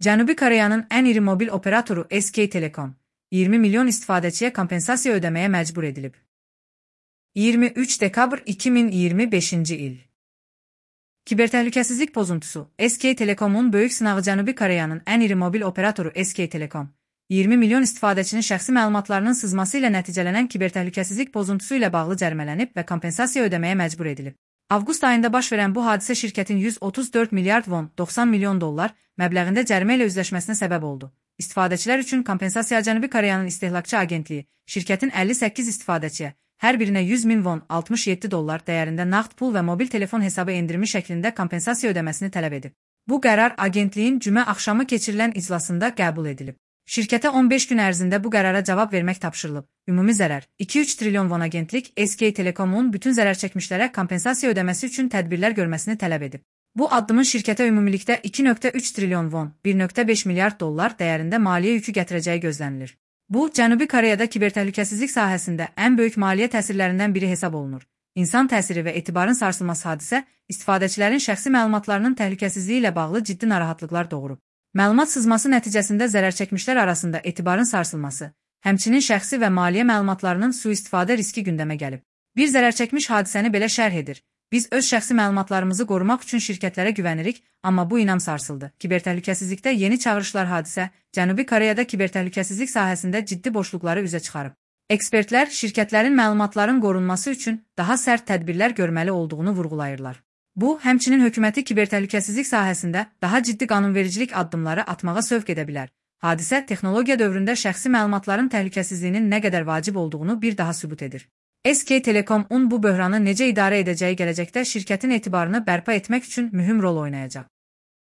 Cənubi Koreyanın ən iri mobil operatoru SK Telecom, 20 milyon istifadəçiyə kompensasiya ödəməyə məcbur edilib. 23 dekabr 2025-ci il. Kibertəhlükəsizlik pozuntusu. SK Telecomun böyük sınağı Cənubi Koreyanın ən iri mobil operatoru SK Telecom, 20 milyon istifadəçinin şəxsi məlumatlarının sızması ilə nəticələnən kibertəhlükəsizlik pozuntusu ilə bağlı cərimələnib və kompensasiya ödəməyə məcbur edilib. Avqust ayında baş verən bu hadisə şirkətin 134 milyard won, 90 milyon dollar məbləğində cərimə ilə üzləşməsinə səbəb oldu. İstifadəçilər üçün kompensasiya Cənubi Koreyanın İstehlakçı Agentliyi, şirkətin 58 istifadəçiyə, hər birinə 100 min won, 67 dollar dəyərində nağd pul və mobil telefon hesabı endirimi şəklində kompensasiya ödəməsini tələb edib. Bu qərar agentliyin cümə axşamı keçirilən iclasında qəbul edilib. Şirkətə 15 gün ərzində bu qərara cavab vermək tapşırılıb. Ümumi zərər 2-3 trilyon won. Agentlik SK Telecomun bütün zərər çəkmişlərə kompensasiya ödəməsi üçün tədbirlər görməsini tələb edib. Bu addımın şirkətə ümumilikdə 2,3 trilyon won, 1,5 milyard dollar dəyərində maliyyə yükü gətirəcəyi gözlənilir. Bu, Cənubi Koreyada kibertəhlükəsizlik sahəsində ən böyük maliyyə təsirlərindən biri hesab olunur. İnsan təsiri və etibarın sarsılması hadisə, istifadəçilərin şəxsi məlumatlarının təhlükəsizliyi ilə bağlı ciddi narahatlıqlar doğurub. Məlumat sızması nəticəsində zərər çəkmişlər arasında etibarın sarsılması, həmçinin şəxsi və maliyyə məlumatlarının sui-istifadə riski gündəmə gəlib. Bir zərər çəkmiş hadisəni belə şərh edir. Biz öz şəxsi məlumatlarımızı qorumaq üçün şirkətlərə güvənirik, amma bu inam sarsıldı. Kibertəhlükəsizlikdə yeni çağırışlar hadisə, Cənubi Koreyada kibertəhlükəsizlik sahəsində ciddi boşluqları üzə çıxarıb. Ekspertlər şirkətlərin məlumatların qorunması üçün daha sərt tədbirlər görməli olduğunu vurğulayırlar. Bu, həmçinin hökuməti kibertəhlükəsizlik sahəsində daha ciddi qanunvericilik addımları atmağa sövq edə bilər. Hadisə, texnologiya dövründə şəxsi məlumatların təhlükəsizliyinin nə qədər vacib olduğunu bir daha sübut edir. SK Telecomun bu böhranı necə idarə edəcəyi gələcəkdə şirkətin etibarını bərpa etmək üçün mühüm rol oynayacaq.